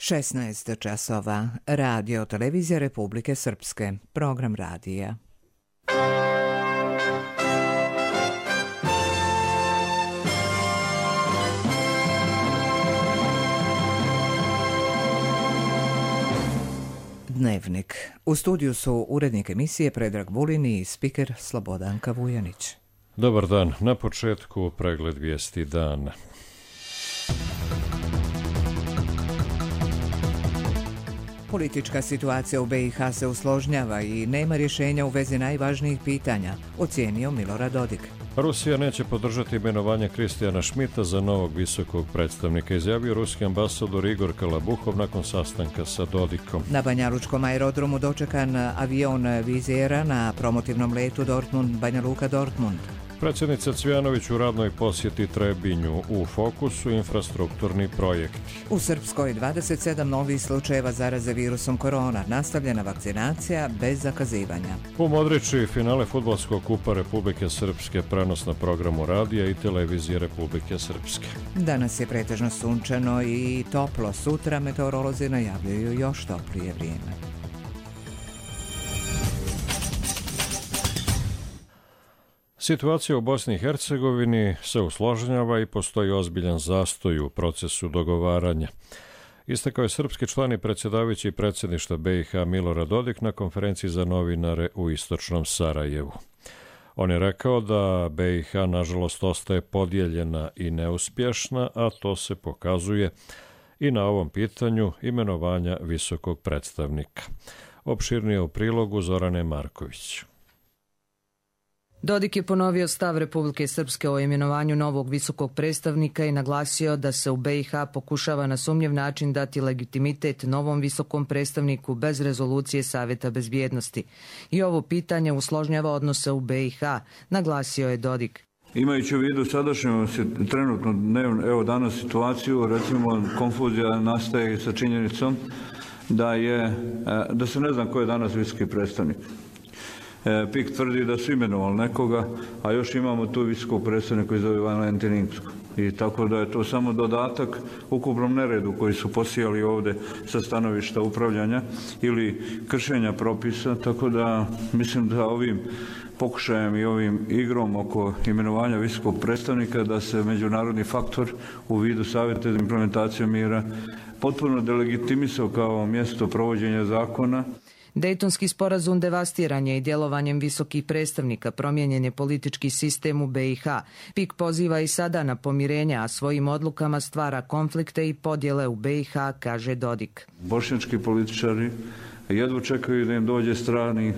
16 časova. Radio Televizija Republike Srpske. Program radija. Dnevnik. U studiju su urednik emisije Predrag Vulin i spiker Slobodanka Vujanić. Dobar dan. Na početku pregled vijesti dana. Politička situacija u BiH se usložnjava i nema rješenja u vezi najvažnijih pitanja, ocijenio Milorad Dodik. Rusija neće podržati imenovanje Kristijana Šmita za novog visokog predstavnika, izjavio ruski ambasador Igor Kalabuhov nakon sastanka sa Dodikom. Na Banjalučkom aerodromu dočekan avion Vizera na promotivnom letu Dortmund-Banja Luka-Dortmund. Predsjednica Cvjanović u radnoj posjeti Trebinju, u fokusu infrastrukturni projekti. U Srpskoj 27 novih slučajeva zaraze virusom korona, nastavljena vakcinacija bez zakazivanja. U Modriči finale fudbalskog kupa Republike Srpske, prenos na programu radija i televizije Republike Srpske. Danas je pretežno sunčano i toplo, sutra meteorolozi najavljuju još toplije vrijeme. Situacija u Bosni i Hercegovini se usložnjava i postoji ozbiljan zastoj u procesu dogovaranja. Istakao je srpski član i predsjedavajući predsjedništva BiH Milorad Dodik na konferenciji za novinare u istočnom Sarajevu. On je rekao da BiH nažalost ostaje podijeljena i neuspješna, a to se pokazuje i na ovom pitanju imenovanja visokog predstavnika. Opširnije u prilogu Zorane Marković. Dodik je ponovio stav Republike Srpske o imenovanju novog visokog predstavnika i naglasio da se u BiH pokušava na sumnjiv način dati legitimitet novom visokom predstavniku bez rezolucije Savjeta bezbjednosti. I ovo pitanje usložnjava odnose u BiH, naglasio je Dodik. Imajući u vidu sadašnju trenutno evo danas situaciju, recimo konfuzija nastaje sa činjenicom da se ne zna ko je danas visoki predstavnik. PIK tvrdi da su imenovali nekoga, a još imamo tu visokog predstavnika koji zove Valentin Inzko. I tako da je to samo dodatak ukupnom neredu koji su posijali ovdje sa stanovišta upravljanja ili kršenja propisa, tako da mislim da ovim pokušajem i ovim igrom oko imenovanja visokog predstavnika da se međunarodni faktor u vidu Savjeta za implementaciju mira potpuno delegitimisao kao mjesto provođenja zakona. Dejtonski sporazum devastiran je i djelovanjem visokih predstavnika, promijenjen je politički sistem u BiH. PIK poziva i sada na pomirenje, a svojim odlukama stvara konflikte i podjele u BiH, kaže Dodik. Bošnjački političari jedva čekaju da im dođe strani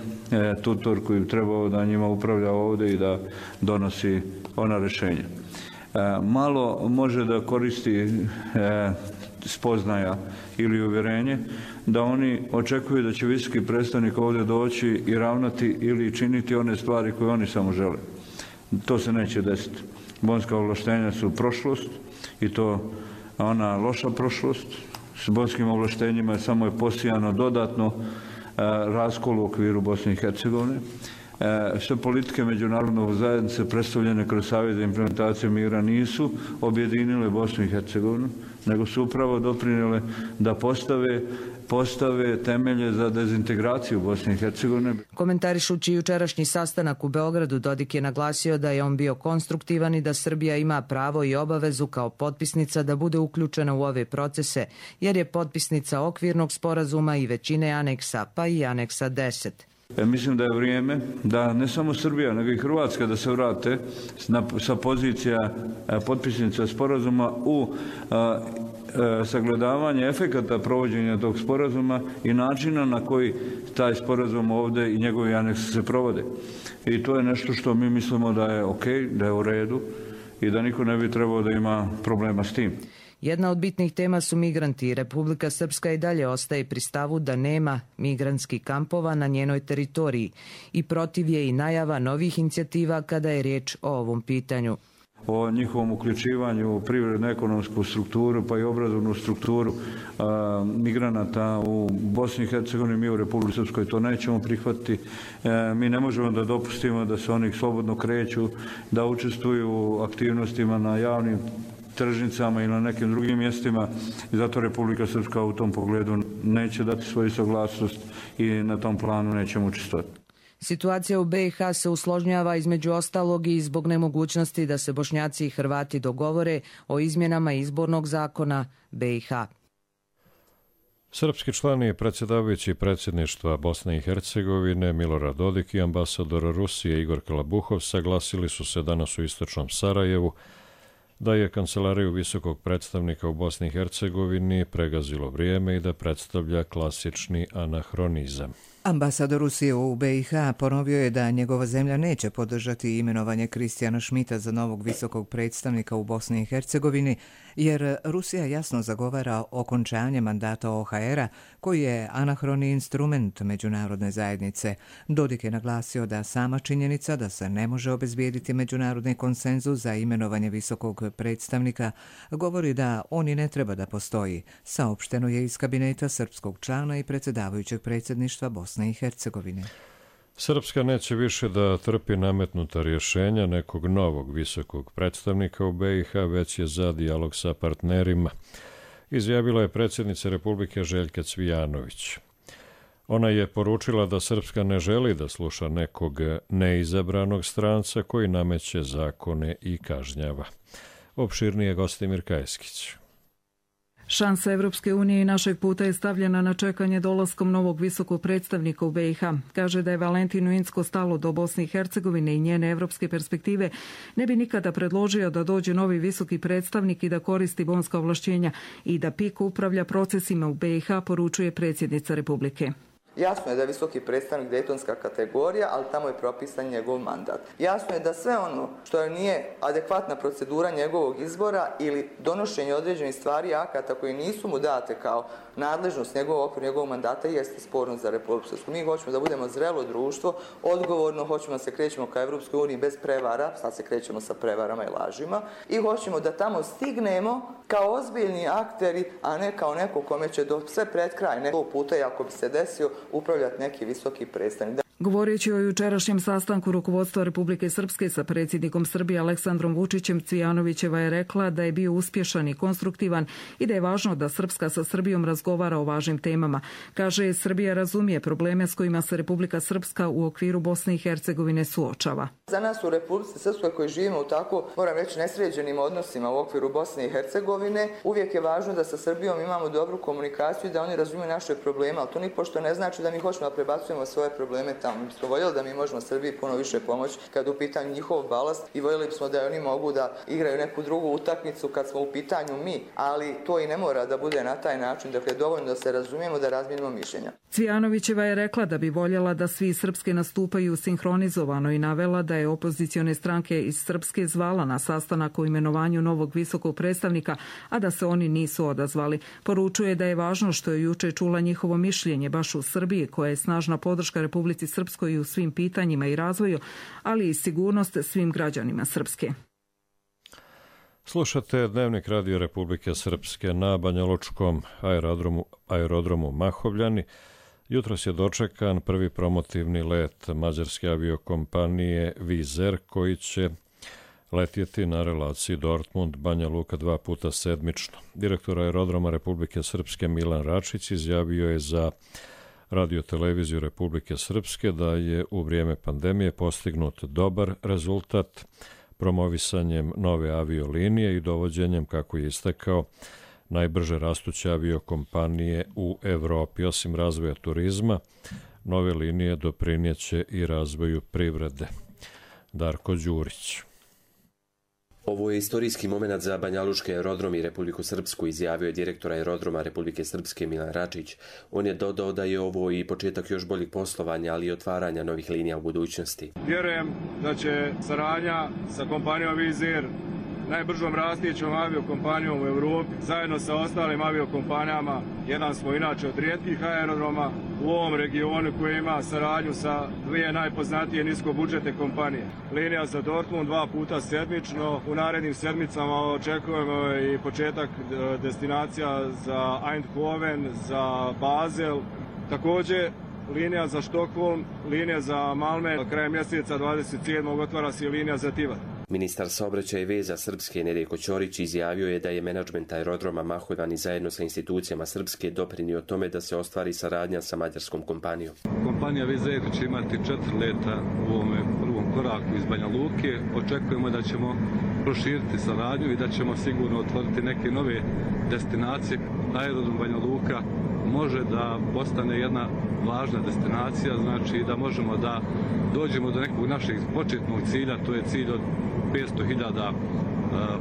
tutor koji bi trebao da njima upravlja ovdje i da donosi ona rješenja. Malo može da koristi spoznaja ili uvjerenje da oni očekuju da će visoki predstavnik ovdje doći i ravnati ili činiti one stvari koje oni samo žele. To se neće desiti. Bonska ovlaštenja su prošlost i to ona loša prošlost. S bonskim ovlaštenjima samo je posijano dodatno raskol u okviru Bosne i Hercegovine. Sve politike međunarodnog zajednice predstavljene kroz Savjet za implementaciju mira nisu objedinile Bosnu i Hercegovinu, nego su upravo doprinijele da postave temelje za dezintegraciju Bosne i Hercegovine. Komentarišući jučerašnji sastanak u Beogradu, Dodik je naglasio da je on bio konstruktivan i da Srbija ima pravo i obavezu kao potpisnica da bude uključena u ove procese, jer je potpisnica okvirnog sporazuma i većine aneksa, pa i aneksa 10. Mislim da je vrijeme da ne samo Srbija, nego i Hrvatska da se vrate sa pozicija potpisnica sporazuma u sagledavanje efekata provođenja tog sporazuma i načina na koji taj sporazum ovdje i njegovi aneksi se provode. I to je nešto što mi mislimo da je ok, da je u redu i da niko ne bi trebao da ima problema s tim. Jedna od bitnih tema su migranti. Republika Srpska i dalje ostaje pri stavu da nema migrantskih kampova na njenoj teritoriji i protiv je i najava novih inicijativa kada je riječ o ovom pitanju. O njihovom uključivanju u privredno-ekonomsku strukturu pa i obrazovnu strukturu migranata u Bosni i Hercegovini, mi u Republici Srpskoj to nećemo prihvatiti. Mi ne možemo da dopustimo da se oni slobodno kreću, da učestvuju u aktivnostima na javnim tržnicama ili na nekim drugim mjestima i zato Republika Srpska u tom pogledu neće dati svoju saglasnost i na tom planu nećemo učestvovati. Situacija u BiH se usložnjava između ostalog i zbog nemogućnosti da se Bošnjaci i Hrvati dogovore o izmjenama izbornog zakona BiH. Srpski član i predsjedavajući predsjedništva Bosne i Hercegovine Milorad Dodik i ambasador Rusije Igor Kalabuhov saglasili su se danas u istočnom Sarajevu da je kancelariju visokog predstavnika u Bosni i Hercegovini pregazilo vrijeme i da predstavlja klasični anahronizam. Ambasador Rusije u BiH ponovio je da njegova zemlja neće podržati imenovanje Kristijana Šmita za novog visokog predstavnika u Bosni i Hercegovini, jer Rusija jasno zagovara okončanje mandata OHR-a, koji je anahroni instrument međunarodne zajednice. Dodik je naglasio da sama činjenica da se ne može obezbijediti međunarodni konsenzus za imenovanje visokog predstavnika govori da on i ne treba da postoji. Saopšteno je iz kabineta srpskog člana i predsjedavajućeg predsjedništva Bosne i Hercegovine. Srpska neće više da trpi nametnuta rješenja nekog novog visokog predstavnika u BiH, već je za dijalog sa partnerima, izjavila je predsjednica Republike Željka Cvijanović. Ona je poručila da Srpska ne želi da sluša nekog neizabranog stranca koji nameće zakone i kažnjava. Opširnije Gostimir Kajskić. Šansa Evropske unije i našeg puta je stavljena na čekanje dolaskom novog visokog predstavnika u BiH. Kaže da je Valentinu Incko stalo do Bosne i Hercegovine i njene evropske perspektive, ne bi nikada predložio da dođe novi visoki predstavnik i da koristi bonska ovlašćenja i da PIK upravlja procesima u BiH, poručuje predsjednica Republike. Jasno je da je visoki predstavnik dejtonska kategorija, ali tamo je propisan njegov mandat. Jasno je da sve ono što nije adekvatna procedura njegovog izbora ili donošenje određenih stvari akata koji nisu mu date kao nadležnost njegovog mandata jeste sporno za Republiku Srpsku. Mi hoćemo da budemo zrelo društvo, odgovorno, hoćemo da se krećemo ka Evropskoj uniji bez prevara, sad se krećemo sa prevarama i lažima, i hoćemo da tamo stignemo kao ozbiljni akteri, a ne kao neko kome će do sve pred kraj nekog puta, i ako bi se desio, upravljati neki visoki predstavnik. Govoreći o jučerašnjem sastanku rukovodstva Republike Srpske sa predsjednikom Srbije Aleksandrom Vučićem, Cvijanovićeva je rekla da je bio uspješan i konstruktivan i da je važno da Srpska sa Srbijom razgovara o važnim temama. Kaže, Srbija razumije probleme s kojima se Republika Srpska u okviru Bosne i Hercegovine suočava. Za nas u Republici Srpskoj koji živimo u tako, moram reći, nesređenim odnosima u okviru Bosne i Hercegovine, uvijek je važno da sa Srbijom imamo dobru komunikaciju i da oni razumiju naše probleme, ali to nipošto ne znači da mi hoćemo da prebacujemo svoje probleme tamo. Mi smo voljeli da mi možemo Srbiji puno više pomoći kad u pitanju njihov balast i voljeli bismo da oni mogu da igraju neku drugu utakmicu kad smo u pitanju mi, ali to i ne mora da bude na taj način, dakle dovoljno da se razumijemo, da razmijenimo mišljenja. Cvijanovićeva je rekla da bi voljela da svi Srpske nastupaju sinhronizovano i navela da je opozicione stranke iz Srpske zvala na sastanak o imenovanju novog visokog predstavnika, a da se oni nisu odazvali. Poručuje da je važno što je juče čula njihovo mišljenje baš u Srbiji, koja je snažna podrška Republici Srpskoj i u svim pitanjima i razvoju, ali i sigurnost svim građanima Srpske. Slušate Dnevnik Radio Republike Srpske. Na Banjalučkom aerodromu Mahovljani jutros je dočekan prvi promotivni let mađarske aviokompanije Wizz Air, koji će letjeti na relaciji Dortmund-Banja Luka 2 puta sedmično. Direktor aerodroma Republike Srpske Milan Račić izjavio je za Radio-televiziju Republike Srpske da je u vrijeme pandemije postignut dobar rezultat promovisanjem nove aviolinije i dovođenjem, kako je istakao, najbrže rastuće aviokompanije u Evropi. Osim razvoja turizma, nove linije doprinijeće i razvoju privrede. Darko Đurić. Ovo je istorijski moment za Banjalučki aerodrom i Republiku Srpsku, izjavio je direktor aerodroma Republike Srpske Milan Račić. On je dodao da je ovo i početak još boljih poslovanja, ali i otvaranja novih linija u budućnosti. Vjerujem da će saradnja sa kompanijom Wizz Air, najbržom rastućom aviokompanijom u Europi, zajedno sa ostalim aviokompanijama, jedan smo inače od rijetkih aerodroma u ovom regionu koji ima saradnju sa dvije najpoznatije niskobudžetne kompanije. Linija za Dortmund 2 puta sedmično, u narednim sedmicama očekujemo i početak destinacija za Eindhoven, za Basel, također linija za Štokholm, linija za Malmö, krajem mjeseca 27. otvara se linija za Tivat. Ministar saobraćaja i veza Srpske Nedjeljko Ćorić izjavio je da je menadžment aerodroma Maholjani zajedno sa institucijama Srpske doprinio tome da se ostvari saradnja sa mađarskom kompanijom. Kompanija Wizz će imati 4 leta u ovome prvom koraku iz Banja Luke. Očekujemo da ćemo proširiti saradnju i da ćemo sigurno otvoriti neke nove destinacije. Aerodrom Banja Luka može da postane jedna važna destinacija, znači da možemo da dođemo do nekog našeg početnog cilja, to je cilj od 500.000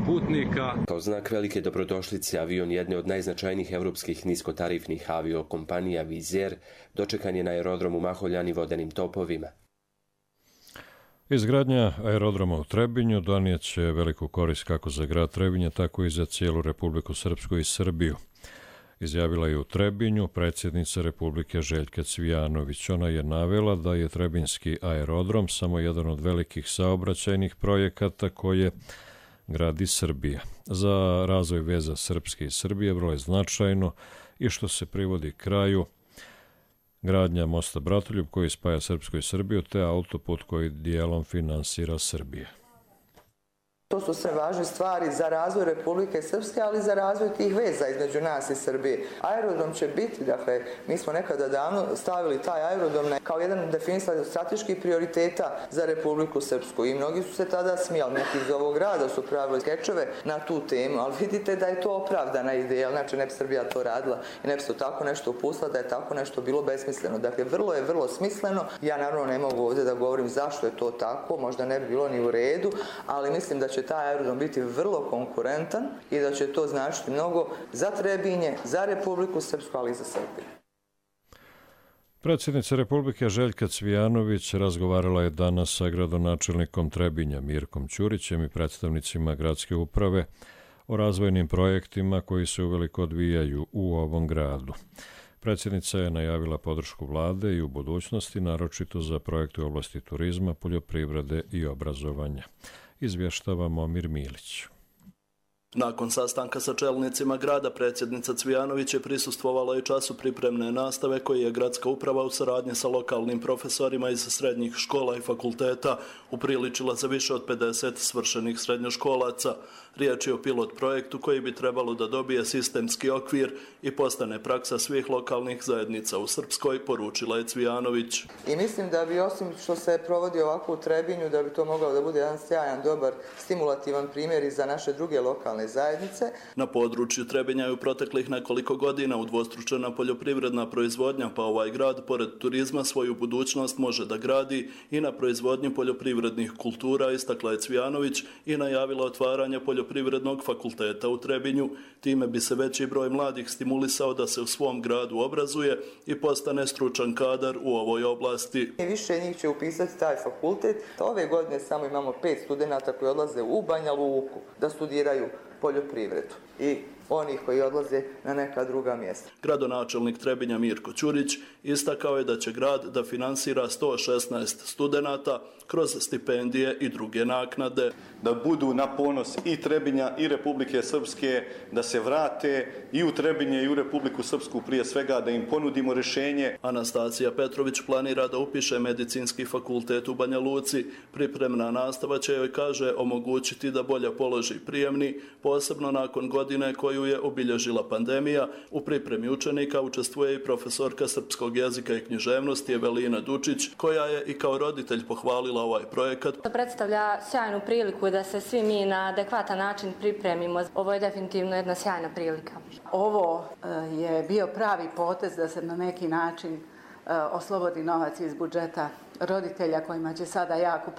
putnika. Kao znak velike dobrodošlice, avion jedne od najznačajnijih evropskih niskotarifnih aviokompanija Wizz Air dočekan je na aerodromu Maholjani vodenim topovima. Izgradnja aerodroma u Trebinju donijeće veliku korist kako za grad Trebinje, tako i za cijelu Republiku Srpsku i Srbiju. Izjavila je u Trebinju predsjednica Republike Željka Cvijanović. Ona je navela da je Trebinjski aerodrom samo jedan od velikih saobraćajnih projekata koje gradi Srbija. Za razvoj veza Srpske i Srbije vrlo je značajno i što se privodi kraju gradnja mosta Bratoljub koji spaja Srpsku i Srbiju, te autoput koji dijelom finansira Srbija. To su sve važne stvari za razvoj Republike Srpske, ali i za razvoj tih veza između nas i Srbije. Aerodrom će biti, dakle, mi smo nekada davno stavili taj aerodrom kao jedan definisan strateških prioriteta za Republiku Srpsku i mnogi su se tada smijali, neki iz ovog grada su pravili skečeve na tu temu, ali vidite da je to opravdana ideja, znači ne bi Srbija to radila i ne bi se tako nešto upustila da je tako nešto bilo besmisleno. Dakle, vrlo smisleno. Ja naravno ne mogu ovdje da govorim zašto je to tako, možda ne bi bilo ni u redu, ali mislim da će taj aerodrom biti vrlo konkurentan i da će to značiti mnogo za Trebinje, za Republiku Srpsku, ali i za Srbiju. Predsjednica Republike Željka Cvijanović razgovarala je danas sa gradonačelnikom Trebinja Mirkom Ćurićem i predstavnicima gradske uprave o razvojnim projektima koji se uveliko odvijaju u ovom gradu. Predsjednica je najavila podršku vlade i u budućnosti, naročito za projekte u oblasti turizma, poljoprivrede i obrazovanja. Izvještava Momir Milić. Nakon sastanka sa čelnicima grada, predsjednica Cvijanović je prisustvovala i času pripremne nastave koji je gradska uprava u saradnji sa lokalnim profesorima iz srednjih škola i fakulteta upriličila za više od 50 svršenih srednjoškolaca. Riječ je o pilot projektu koji bi trebalo da dobije sistemski okvir i postane praksa svih lokalnih zajednica u Srpskoj, poručila je Cvijanović. I mislim da bi, osim što se provodi ovako u Trebinju, da bi to mogao da bude jedan sjajan, dobar, stimulativan primjer i za naše druge lokalne zajednice. Na području Trebinja je u proteklih nekoliko godina udvostručena poljoprivredna proizvodnja, pa ovaj grad, pored turizma, svoju budućnost može da gradi i na proizvodnji poljoprivrednih kultura, istakla je Cvijanović i najavila otvaranje poljoprivrednog fakulteta u Trebinju. Time bi se veći broj mladih stimulisao da se u svom gradu obrazuje i postane stručan kadar u ovoj oblasti. Više njih će upisati taj fakultet. Ove godine samo imamo 5 studenata koji odlaze u Banja Luku da studiraju poljoprivredu i onih koji odlaze na neka druga mjesta. Gradonačelnik Trebinja Mirko Ćurić istakao je da će grad da finansira 116 studenata kroz stipendije i druge naknade. Da budu na ponos i Trebinja i Republike Srpske, da se vrate i u Trebinje i u Republiku Srpsku prije svega, da im ponudimo rješenje. Anastacija Petrović planira da upiše medicinski fakultet u Banja Luci. Pripremna nastava će joj, kaže, omogućiti da bolje položi prijemni, posebno nakon godine koju je obilježila pandemija. U pripremi učenika učestvuje i profesorka srpskog jezika i književnosti Evelina Dučić, koja je i kao roditelj pohvalila ovaj projekat. To predstavlja sjajnu priliku da se svi mi na adekvatan način pripremimo. Ovo je definitivno jedna sjajna prilika. Ovo je bio pravi potez da se na neki način oslobodi novac iz budžeta roditelja kojima će sada jako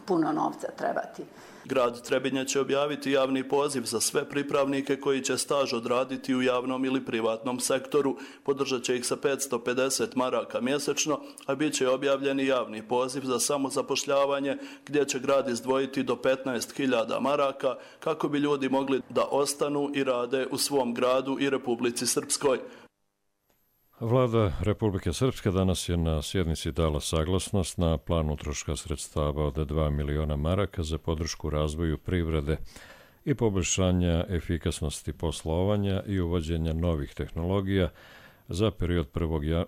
puno novca trebati. Grad Trebinje će objaviti javni poziv za sve pripravnike koji će staž odraditi u javnom ili privatnom sektoru. Podržat će ih sa 550 maraka mjesečno, a bit će objavljeni javni poziv za samozapošljavanje gdje će grad izdvojiti do 15.000 maraka kako bi ljudi mogli da ostanu i rade u svom gradu i Republici Srpskoj. Vlada Republike Srpske danas je na sjednici dala saglasnost na plan utroška sredstava od 2 miliona maraka za podršku razvoju privrede i poboljšanja efikasnosti poslovanja i uvođenja novih tehnologija, za period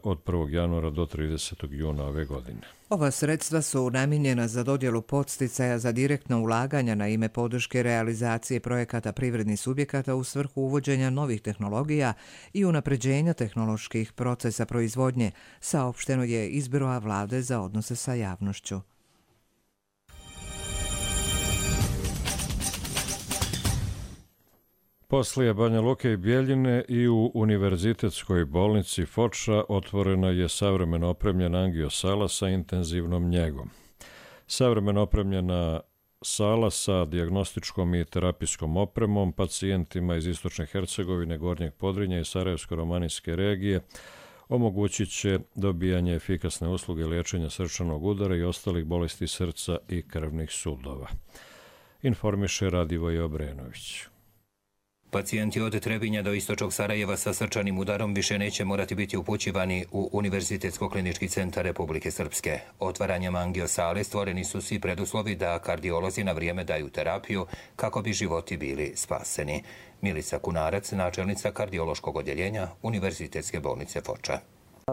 od 1. januara do 30. juna ove godine. Ova sredstva su namijenjena za dodjelu podsticaja za direktna ulaganja na ime podrške realizacije projekata privrednih subjekata u svrhu uvođenja novih tehnologija i unapređenja tehnoloških procesa proizvodnje, saopšteno je iz Biroa Vlade za odnose sa javnošću. Poslije Banja Luke i Bjeljine i u Univerzitetskoj bolnici Foča otvorena je savremeno opremljena angiosala sa intenzivnom njegom. Savremeno opremljena sala sa dijagnostičkom i terapijskom opremom pacijentima iz Istočne Hercegovine, Gornjeg Podrinja i Sarajevsko-romanijske regije omogućit će dobijanje efikasne usluge liječenja srčanog udara i ostalih bolesti srca i krvnih sudova. Informiše Radivoje Obrenović. Pacijenti od Trebinja do Istočnog Sarajeva sa srčanim udarom više neće morati biti upućivani u Univerzitetsko-klinički centar Republike Srpske. Otvaranjem angiosale stvoreni su svi preduslovi da kardiolozi na vrijeme daju terapiju kako bi životi bili spaseni. Milica Kunarac, načelnica kardiološkog odjeljenja Univerzitetske bolnice Foča.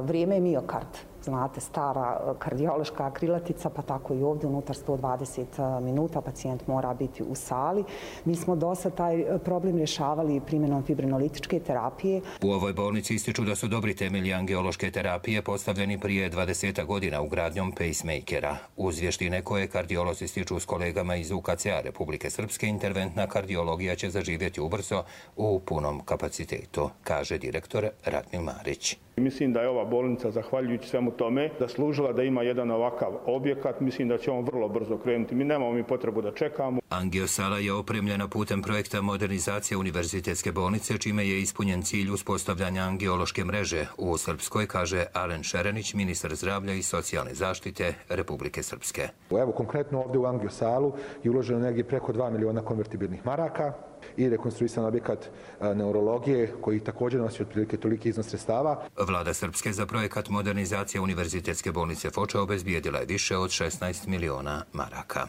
Vrijeme je miokard, znate, stara kardiološka krilatica, pa tako i ovdje unutar 120 minuta pacijent mora biti u sali. Mi smo dosta taj problem rješavali primjenom fibrinolitičke terapije. U ovoj bolnici ističu da su dobri temelji angiološke terapije postavljeni prije 20 godina ugradnjom pacemakera. Uz vještine koje kardiolozi stiču s kolegama iz UKC-a Republike Srpske, interventna kardiologija će zaživjeti ubrzo u punom kapacitetu, kaže direktor Ratmil Marić. Mislim da je ova bolnica, zahvaljujući svemu tome, zaslužila da ima jedan ovakav objekat. Mislim da će on vrlo brzo krenuti. Mi nemamo potrebu da čekamo. Angiosala je opremljena putem projekta modernizacije Univerzitetske bolnice, čime je ispunjen cilj uspostavljanja angiološke mreže u Srpskoj, kaže Alen Šerenić, ministar zdravlja i socijalne zaštite Republike Srpske. Evo, konkretno ovdje u angiosalu je uloženo negdje preko 2 miliona konvertibilnih maraka i rekonstruisan objekat neurologije koji također nosi otprilike toliki iznos sredstava. Vlada Srpske za projekat modernizacije Univerzitetske bolnice Foča obezbijedila je više od 16 miliona maraka.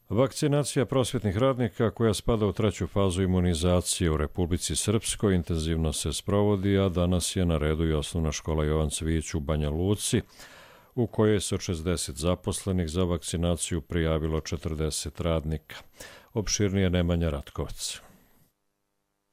Vakcinacija prosvjetnih radnika koja spada u treću fazu imunizacije u Republici Srpskoj intenzivno se sprovodi, a danas je na redu i osnovna škola Jovan Cvijić u Banja Luci, u kojoj se od 60 zaposlenih za vakcinaciju prijavilo 40 radnika. Opširnije Nemanja Ratkovac.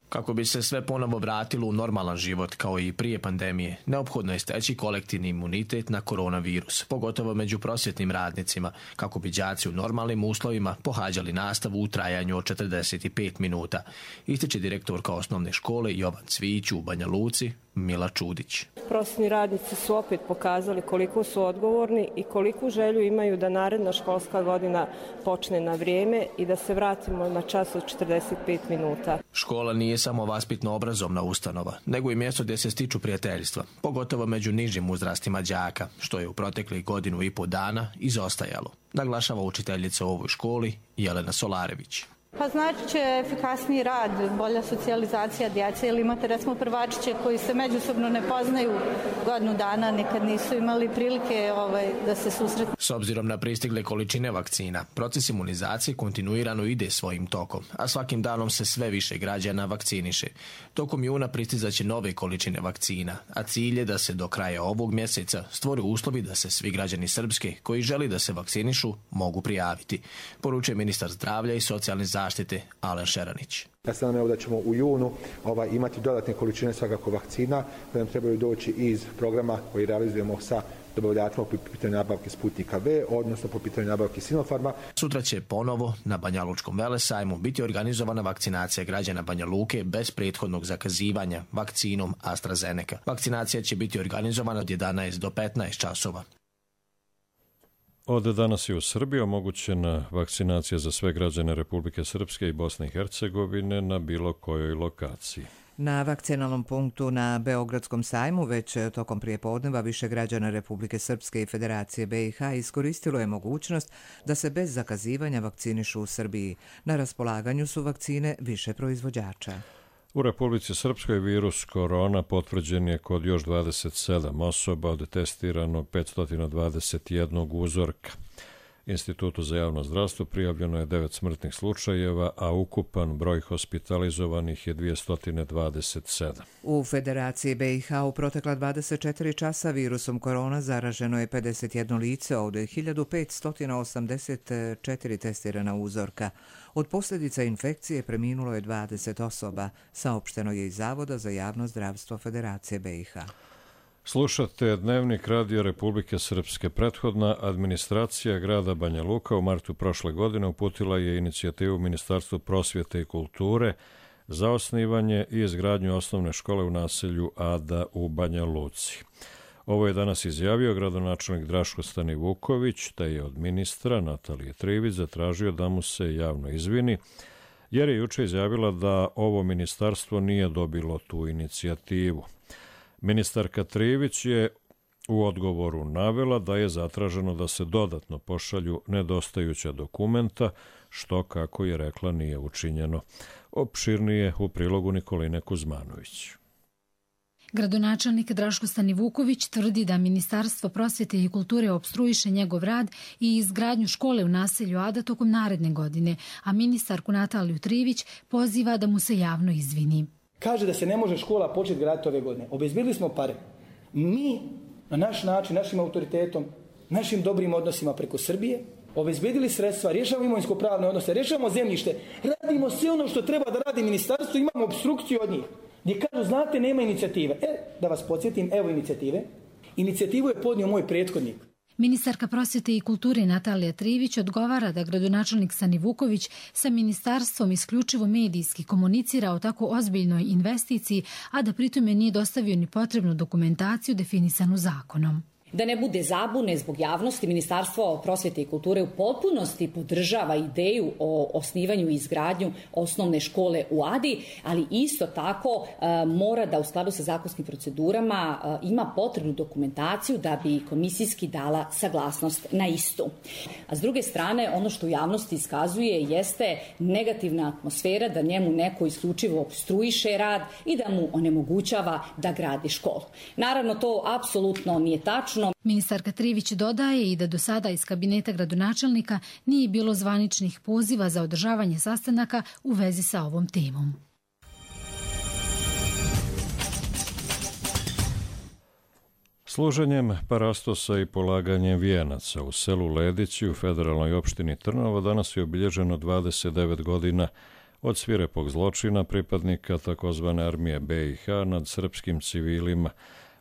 Kako bi se sve ponovo vratilo u normalan život kao i prije pandemije, neophodno je steći kolektivni imunitet na koronavirus, pogotovo među prosvjetnim radnicima, kako bi đaci u normalnim uslovima pohađali nastavu u trajanju od 45 minuta, ističe direktorka osnovne škole Jovan Cvijić u Banja Luci, Mila Čudić. Prosvjetni radnici su opet pokazali koliko su odgovorni i koliku želju imaju da naredna školska godina počne na vrijeme i da se vratimo na čas od 45 minuta. Škola nije samo vaspitno-obrazovna ustanova, nego i mjesto gdje se stiču prijateljstva, pogotovo među nižim uzrastima đaka, što je u proteklih 1,5 dana izostajalo, naglašava učiteljica u ovoj školi Jelena Solarević. Pa znači će efikasniji rad, bolja socijalizacija djece, ili imate recimo prvačiće koji se međusobno ne poznaju godinu dana, nikad nisu imali prilike da se susretnu. S obzirom na pristigle količine vakcina, proces imunizacije kontinuirano ide svojim tokom, a svakim danom se sve više građana vakciniše. Tokom juna pristizaće nove količine vakcina, a cilj je da se do kraja ovog mjeseca stvore uslovi da se svi građani Srpske koji želi da se vakcinišu mogu prijaviti, poručuje ministar zdravlja i socijalne zaštite Alen Šeranić. Ja se nadam da ćemo u junu imati dodatne količine svakako vakcina koje nam trebaju doći iz programa koji realizujemo sa dobavljačima po pitanju nabavke Sputnika V, odnosno po pitanju nabavke Sinopharma. Sutra će ponovo na Banjalučkom velesajmu biti organizovana vakcinacija građana Banja Luke bez prethodnog zakazivanja vakcinom AstraZeneca. Vakcinacija će biti organizovana od 11 do 15 časova. Od danas je u Srbiji omogućena vakcinacija za sve građane Republike Srpske i Bosne i Hercegovine na bilo kojoj lokaciji. Na vakcinalnom punktu na Beogradskom sajmu već tokom prijepodneva više građana Republike Srpske i Federacije BiH iskoristilo je mogućnost da se bez zakazivanja vakcinišu u Srbiji. Na raspolaganju su vakcine više proizvođača. U Republici Srpskoj virus korona potvrđen je kod još 27 osoba od testiranog 521 uzorka. Institutu za javno zdravstvo prijavljeno je 9 smrtnih slučajeva, a ukupan broj hospitalizovanih je 227. U Federaciji BiH u protekla 24 časa virusom korona zaraženo je 51 lice, od 1584 testirana uzorka. Od posljedica infekcije preminulo je 20 osoba, saopšteno je iz Zavoda za javno zdravstvo Federacije BiH. Slušate Dnevnik Radio Republike Srpske. Prethodna administracija grada Banja Luka u martu prošle godine uputila je inicijativu Ministarstvu prosvjete i kulture za osnivanje i izgradnju osnovne škole u naselju Ada u Banja Luci. Ovo je danas izjavio gradonačelnik Draško Stanivuković, te je od ministra Natalije Trivić zatražio da mu se javno izvini, jer je juče izjavila da ovo ministarstvo nije dobilo tu inicijativu. Ministarka Trivić je u odgovoru navela da je zatraženo da se dodatno pošalju nedostajuća dokumenta, što, kako je rekla, nije učinjeno. Opširnije u prilogu Nikoline Kuzmanović. Gradonačelnik Draško Stanivuković tvrdi da Ministarstvo prosvjete i kulture opstruiše njegov rad i izgradnju škole u naselju Ada tokom naredne godine, a ministarku Nataliju Trivić poziva da mu se javno izvini. Kaže da se ne može škola početi graditi ove godine. Obezbedili smo pare. Mi, na naš način, našim autoritetom, našim dobrim odnosima preko Srbije, obezbedili sredstva, rješavamo imovinsko-pravne odnose, rješavamo zemljište, radimo sve ono što treba da radi ministarstvo, imamo obstrukciju od njih. Gdje kažu, znate, nema inicijative. Da vas podsjetim, evo inicijative. Inicijativu je podnio moj prethodnik. Ministarka prosvjete i kulture Natalija Trivić odgovara da gradonačelnik Stanivuković sa ministarstvom isključivo medijski komunicira o tako ozbiljnoj investiciji, a da pritome nije dostavio ni potrebnu dokumentaciju definisanu zakonom. Da ne bude zabune zbog javnosti, Ministarstvo prosvjete i kulture u potpunosti podržava ideju o osnivanju i izgradnju osnovne škole u Adi, ali isto tako mora da u skladu sa zakonskim procedurama ima potrebnu dokumentaciju da bi komisijski dala saglasnost na istu. A s druge strane, ono što u javnosti iskazuje jeste negativna atmosfera da njemu neko isključivo opstruiše rad i da mu onemogućava da gradi školu. Naravno, to apsolutno nije tačno. Ministarka Trivić dodaje i da do sada iz kabineta gradonačelnika nije bilo zvaničnih poziva za održavanje sastanaka u vezi sa ovom temom. Služenjem parastosa i polaganjem vijenaca u selu Ledići u federalnoj opštini Trnovo danas je obilježeno 29 godina od svirepog zločina pripadnika takozvane armije BiH nad srpskim civilima,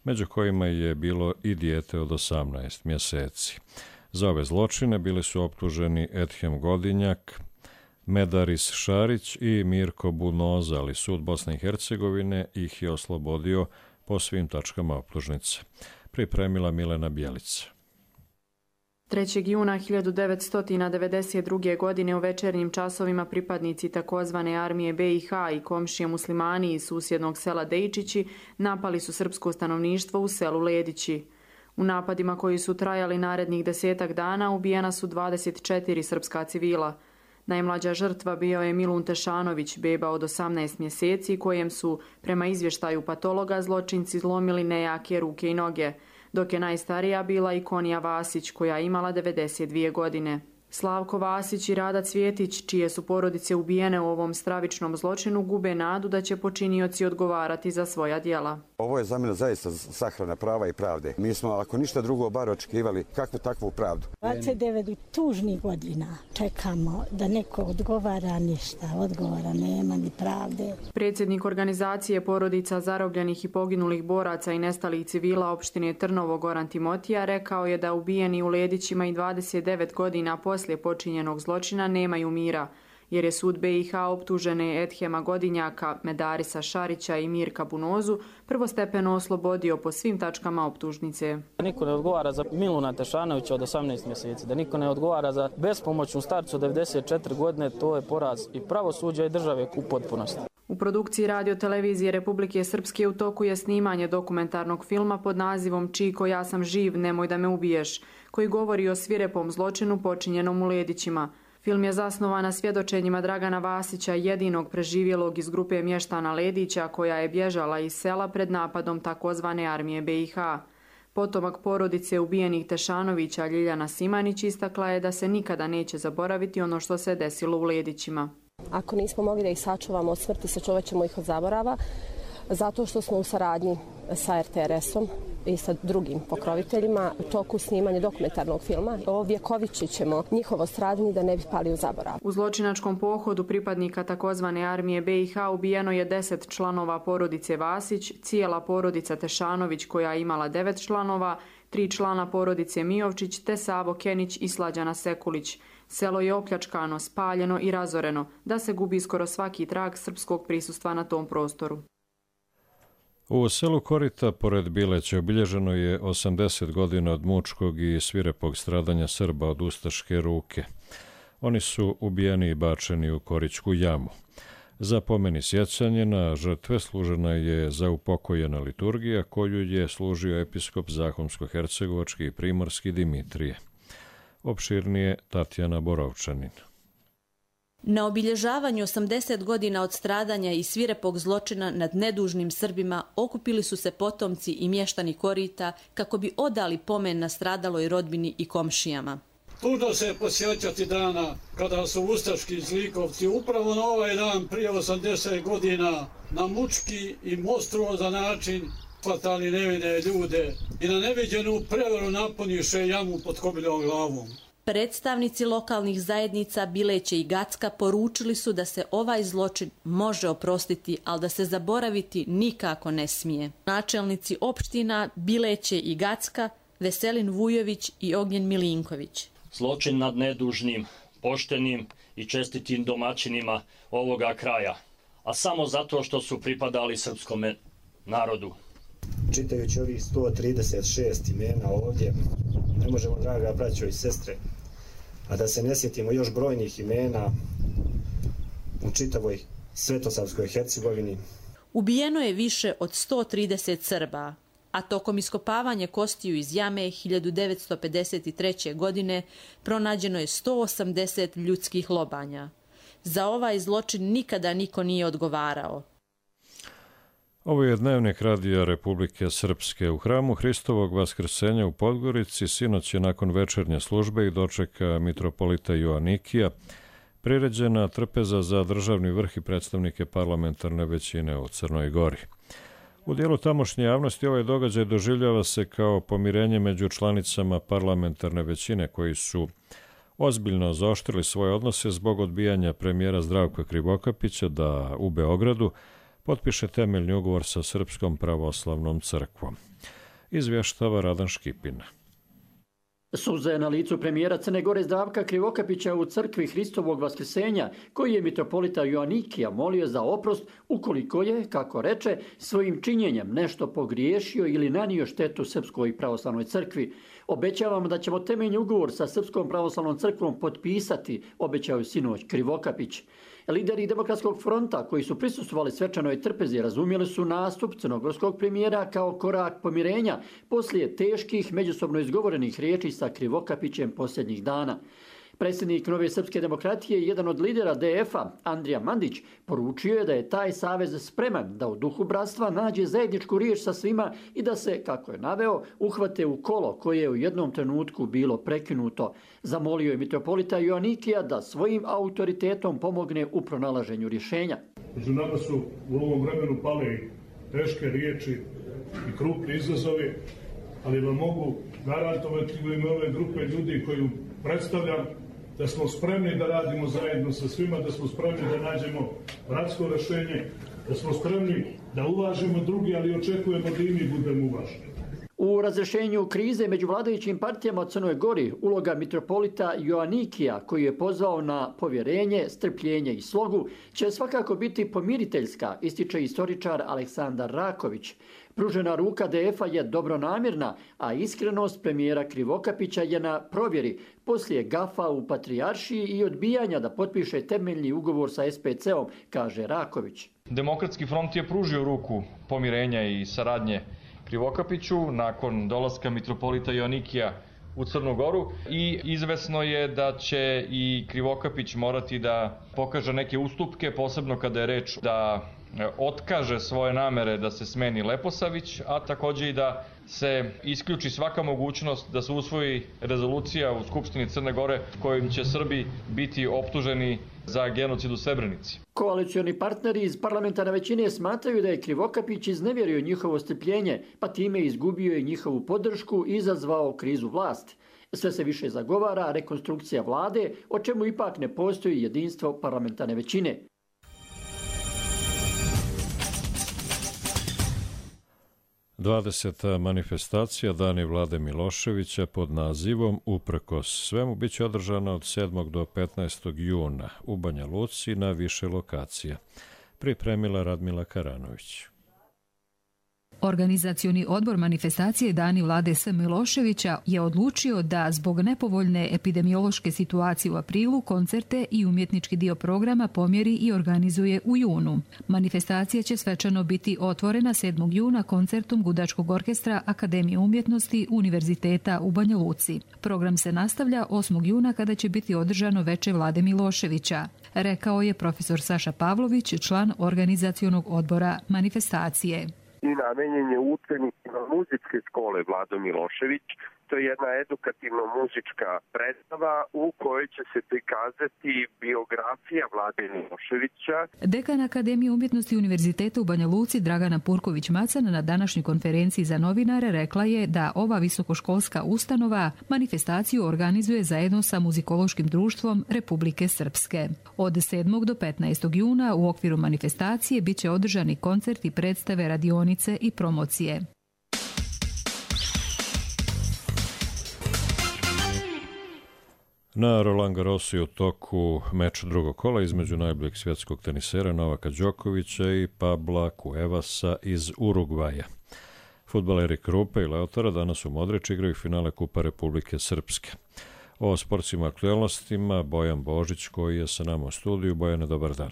među kojima je bilo i dijete od 18 mjeseci. Za ove zločine bili su optuženi Edhem Godinjak, Medaris Šarić i Mirko Bunoza, ali sud Bosne i Hercegovine ih je oslobodio po svim tačkama optužnice. Pripremila Milena Bjelica. 3. juna 1992. godine u večernjim časovima pripadnici takozvane armije BiH i komšije muslimani iz susjednog sela Dejčići napali su srpsko stanovništvo u selu Ledići. U napadima koji su trajali narednih 10 dana ubijena su 24 srpska civila. Najmlađa žrtva bio je Milun Tešanović, beba od 18 mjeseci, kojem su, prema izvještaju patologa, zločinci zlomili nejake ruke i noge, dok je najstarija bila i Konija Vasić, koja je imala 92 godine. Slavko Vasić i Rada Cvjetić, čije su porodice ubijene u ovom stravičnom zločinu, gube nadu da će počinioci odgovarati za svoja djela. Ovo je za mene zaista sahrana prava i pravde. Mi smo, ako ništa drugo, bar očekivali kakvu takvu pravdu. 29 tužnih godina čekamo da neko odgovara, ništa. Odgovora nema ni pravde. Predsjednik organizacije porodica zarobljenih i poginulih boraca i nestalih civila opštine Trnovo Goran Timotija rekao je da ubijeni u Ledićima i 29 godina poslije počinjenog zločina nemaju mira, jer je sud BiH optužene Edhema Godinjaka, Medarisa Šarića i Mirka Bunozu prvostepeno oslobodio po svim tačkama optužnice. Da niko ne odgovara za Miluna Tešanovića od 18 mjeseci, da niko ne odgovara za bespomoćnu starcu od 94 godine, to je poraz i pravosuđa i države u potpunosti. U produkciji Radio-televizije Republike Srpske u toku je snimanje dokumentarnog filma pod nazivom Čiko, ja sam živ, nemoj da me ubiješ, koji govori o svirepom zločinu počinjenom u Ledićima. Film je zasnovan na svjedočenjima Dragana Vasića, jedinog preživjelog iz grupe mještana Ledića koja je bježala iz sela pred napadom takozvane armije BiH. Potomak porodice ubijenih Tešanovića Ljiljana Simanić istakla je da se nikada neće zaboraviti ono što se desilo u Ledićima. Ako nismo mogli da ih sačuvamo od smrti, sačuvat ćemo ih od zaborava, zato što smo u saradnji sa RTRS-om i sa drugim pokroviteljima u toku snimanja dokumentarnog filma. Ovjekovićit ćemo njihovo stradanje da ne bi pali u zaborav. U zločinačkom pohodu pripadnika takozvane armije BiH ubijeno je 10 članova porodice Vasić, cijela porodica Tešanović koja je imala 9 članova, 3 člana porodice Mijovčić te Savo Kenić i Slađana Sekulić. Selo je opljačkano, spaljeno i razoreno, da se gubi skoro svaki trag srpskog prisustva na tom prostoru. U selu Korita, pored Bileća, obilježeno je 80 godina od mučkog i svirepog stradanja Srba od ustaške ruke. Oni su ubijeni i bačeni u Korićku jamu. Za pomen i sjećanje na žrtve služena je zaupokojena liturgija koju je služio episkop Zahumsko-hercegovački i primorski Dimitrije. Opširnije Tatjana Borovčanin. Na obilježavanju 80 godina od stradanja i svirepog zločina nad nedužnim Srbima okupili su se potomci i mještani Korita kako bi odali pomen na stradaloj rodbini i komšijama. Tužno se posjećati dana kada su ustaški zlikovci upravo na ovaj dan prije 80 godina na mučki i monstruozan način hvatali nevine ljude i na neviđenu prevaru napuniše jamu pod Kobiljevom glavom. Predstavnici lokalnih zajednica Bileće i Gacka poručili su da se ovaj zločin može oprostiti, ali da se zaboraviti nikako ne smije. Načelnici opština Bileće i Gacka Veselin Vujović i Ognjen Milinković. Zločin nad nedužnim, poštenim i čestitim domaćinima ovoga kraja, a samo zato što su pripadali srpskom narodu. Čitajući ovih 136 imena ovdje, ne možemo, draga braćo i sestre, a da se ne sjetimo još brojnih imena u čitavoj Svetosavskoj Hercegovini. Ubijeno je više od 130 Srba, a tokom iskopavanja kostiju iz jame 1953. godine pronađeno je 180 ljudskih lobanja. Za ovaj zločin nikada niko nije odgovarao. Ovo je dnevnik Radija Republike Srpske. U hramu Hristovog vaskrsenja u Podgorici sinoć je nakon večernje službe i dočeka mitropolita Joanikija priređena trpeza za državni vrh i predstavnike parlamentarne većine u Crnoj Gori. U dijelu tamošnje javnosti ovaj događaj doživljava se kao pomirenje među članicama parlamentarne većine koji su ozbiljno zaoštrili svoje odnose zbog odbijanja premijera Zdravka Krivokapića da u Beogradu potpiše temeljni ugovor sa Srpskom pravoslavnom crkvom. Izvještava Radan Škipina. Suza je na licu premijera Crne Gore Zdravka Krivokapića u crkvi Hristovog vaskrsenja, koji je mitropolita Joanikija molio za oprost ukoliko je, kako reče, svojim činjenjem nešto pogriješio ili nanio štetu Srpskoj pravoslavnoj crkvi. Obećavamo da ćemo temeljni ugovor sa Srpskom pravoslavnom crkvom potpisati, obećao je sinoć Krivokapić. Lideri Demokratskog fronta koji su prisustvovali svečanoj trpezi razumjeli su nastup crnogorskog premijera kao korak pomirenja poslije teških međusobno izgovorenih riječi sa Krivokapićem posljednjih dana. Predsjednik Nove srpske demokratije i jedan od lidera DF-a, Andrija Mandić, poručio je da je taj savez spreman da u duhu bratstva nađe zajedničku riječ sa svima i da se, kako je naveo, uhvate u kolo koje je u jednom trenutku bilo prekinuto. Zamolio je mitropolita Joanikija da svojim autoritetom pomogne u pronalaženju rješenja. Među nama su u ovom vremenu pale i teške riječi i krupni izazovi, ali vam mogu garantovati u ime ove grupe ljudi koju predstavljam da smo spremni da radimo zajedno sa svima, da smo spremni da nađemo bratsko rješenje, da smo spremni da uvažimo drugi, ali očekujemo da i mi budemo uvaženi. U razrješenju krize među vladajućim partijama u Crnoj Gori uloga mitropolita Joanikija, koji je pozvao na povjerenje, strpljenje i slogu, će svakako biti pomiriteljska, ističe istoričar Aleksandar Raković. Pružena ruka DF-a je dobronamjerna, a iskrenost premijera Krivokapića je na provjeri poslije gafa u Patrijaršiji i odbijanja da potpiše temeljni ugovor sa SPC-om, kaže Raković. Demokratski front je pružio ruku pomirenja i saradnje Krivokapiću nakon dolaska mitropolita Joanikija u Crnu Goru i izvesno je da će i Krivokapić morati da pokaže neke ustupke, posebno kada je reč da otkaže svoje namere da se smeni Leposavić, a takođe i da se isključi svaka mogućnost da se usvoji rezolucija u Skupštini Crne Gore kojim će Srbi biti optuženi za genocid u Srebrenici. Koalicioni partneri iz parlamentarne većine smatraju da je Krivokapić iznevjerio njihovo strpljenje, pa time izgubio i njihovu podršku i izazvao krizu vlasti. Sve se više zagovara rekonstrukcija vlade, o čemu ipak ne postoji jedinstvo parlamentarne većine. Dvadeseta manifestacija Dani Vlade Miloševića pod nazivom Uprkos svemu bit će održana od 7. do 15. juna u Banja Luci na više lokacija. Pripremila Radmila Karanović. Organizacioni odbor manifestacije Dani Vlade S. Miloševića je odlučio da zbog nepovoljne epidemiološke situacije u aprilu koncerte i umjetnički dio programa pomjeri i organizuje u junu. Manifestacija će svečano biti otvorena 7. juna koncertom Gudačkog orkestra Akademije umjetnosti Univerziteta u Banja Luci. Program se nastavlja 8. juna kada će biti održano veče Vlade Miloševića, rekao je profesor Saša Pavlović, član organizacionog odbora manifestacije. I namenjen je učenicima muzičke škole Vlado Milošević. To je jedna edukativno-muzička predstava u kojoj će se prikazati biografija Vlade Miloševića. Dekan Akademije umjetnosti Univerziteta u Banja Luci Dragana Purković-Macan na današnjoj konferenciji za novinare rekla je da ova visokoškolska ustanova manifestaciju organizuje zajedno sa Muzikološkim društvom Republike Srpske. Od 7. do 15. juna u okviru manifestacije bit će održani koncerti, predstave, radionice i promocije. Na Roland Garrosu je u toku meč drugog kola između najboljeg svjetskog tenisera Novaka Đokovića i Pabla Cuevasa iz Urugvaja. Fudbaleri Krupe i Leotara danas u Modrić igraju finale Kupa Republike Srpske. O sportskim aktualnostima Bojan Božić koji je sa nama u studiju. Bojane, dobar dan.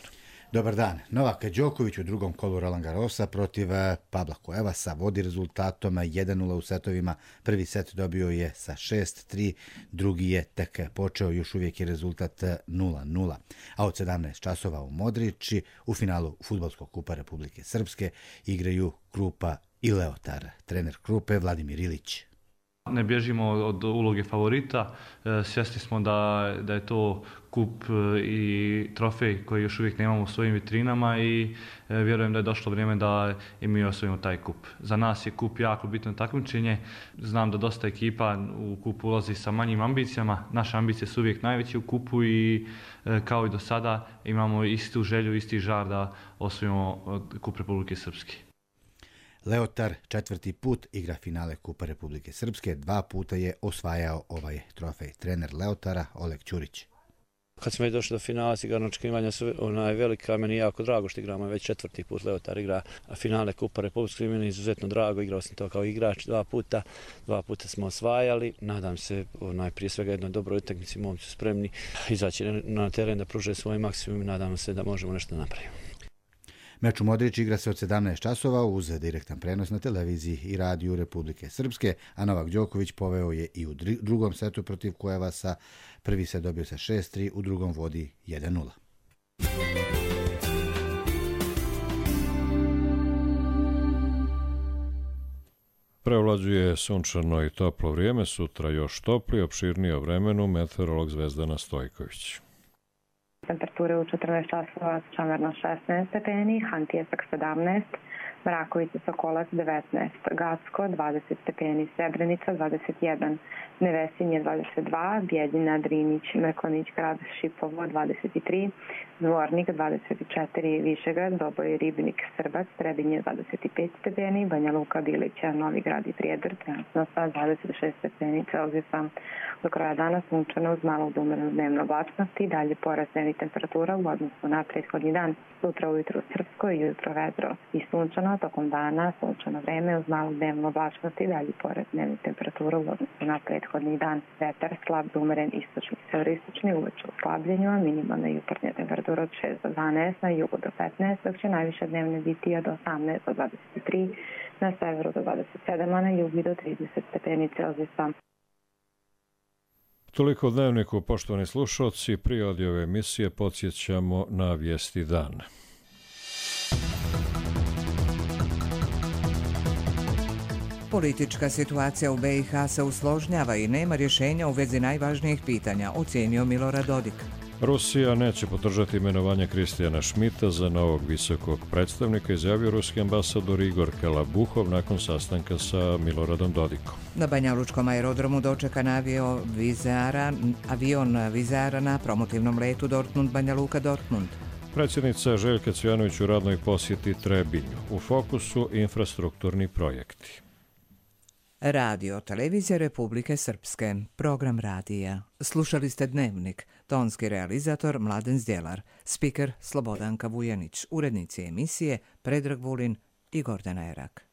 Dobar dan. Novak Đoković u drugom kolu Roland Garrosa protiv Pabla Cuevasa vodi rezultatom 1-0 u setovima. Prvi set dobio je sa 6-3, drugi je tek počeo, još uvijek je rezultat 0-0. A od 17 časova u Modrići u finalu Fudbalskog kupa Republike Srpske igraju Krupa i Leotar. Trener Krupe Vladimir Ilić. Ne bježimo od uloge favorita, svjesni smo da je to kup i trofej koji još uvijek nemamo u svojim vitrinama i vjerujem da je došlo vrijeme da i mi osvojimo taj kup. Za nas je kup jako bitno takmičenje, znam da dosta ekipa u kup ulazi sa manjim ambicijama, naše ambicije su uvijek najveće u kupu i kao i do sada imamo istu želju, isti žar da osvojimo kup Republike Srpske. Leotar 4. put igra finale Kupa Republike Srpske, 2 puta je osvajao ovaj trofej. Trener Leotara Oleg Ćurić. Kad smo već došli do finala, sigurno očekivanja su velika, meni je jako drago što igramo već 4. put. Leotar igra finale Kupa Republike, meni je izuzetno drago, igrao sam to kao igrač 2 puta smo osvajali. Nadam se prije svega jednoj dobroj utakmici, momci su spremni izaći na teren da pruže svoj maksimum i nadam se da možemo nešto napraviti. Meč u Modrić igra se od 17 časova uz direktan prenos na televiziji i radiju Republike Srpske, a Novak Đoković poveo je i u drugom setu protiv Cuevasa. Prvi se dobio sa 6-3, u drugom vodi 1-0. Prevlađuje sunčano i toplo vrijeme, sutra još topli, opširnije o vremenu, meteorolog Zvezdana Stojković. Temperature u 14 časova Čamerno 16 stepeni, Hantijesak 17, Mrakovica Sokolac 19, Gacko 20 stepeni, Srebrenica 21, Nevesinje 22, Bijeljina, Drinić, Mrkonić, Grad Šipovo 23, Zvornik 24, Višegrad, Doboj, Ribnik, Srbac, Trebinje 25 stepeni, Banja Luka, Bilića, Novi Grad i Prijedor, trenutno sa 26 stepeni Celzijusa. Do kraja dana sunčano uz malo umerenu dnevnu oblačnost i dalje porast dnevnih temperatura u odnosu na prethodni dan. Sutra ujutru Srpsko i jutro vedro i sunčano, tokom dana sunčano vreme uz malo dnevnu oblačnost i dalje porast dnevnih temperatura u odnosu na prethodni dan. Vetar slab do umeren istočni, severistočni, uveče u slabljenju, a minimalna jutarnja temperatura od 6 do 12, na jugu do 15, dok će najviše dnevne biti od 18 do 23, na severu do 27, a na jugu do 30 stepeni Celzijusa. Toliko u Dnevniku, poštovani slušalci, prije ove emisije podsjećamo na vijesti dana. Politička situacija u BiH se usložnjava i nema rješenja u vezi najvažnijih pitanja, ocijenio Milorad Dodik. Rusija neće podržati imenovanje Kristijana Šmita za novog visokog predstavnika, izjavio ruski ambasador Igor Kalabuhov nakon sastanka sa Miloradom Dodikom. Na Banjalučkom aerodromu dočekan avion Vizara na promotivnom letu Dortmund-Banja Luka-Dortmund. Predsjednica Željka Cvijanović u radnoj posjeti Trebinju. U fokusu infrastrukturni projekti. Radio Televizija Republike Srpske. Program radija. Slušali ste Dnevnik. Tonski realizator Mladen Zdjelar. Spiker Slobodanka Vujanić. Urednici emisije Predrag Vulin i Gordana Erak.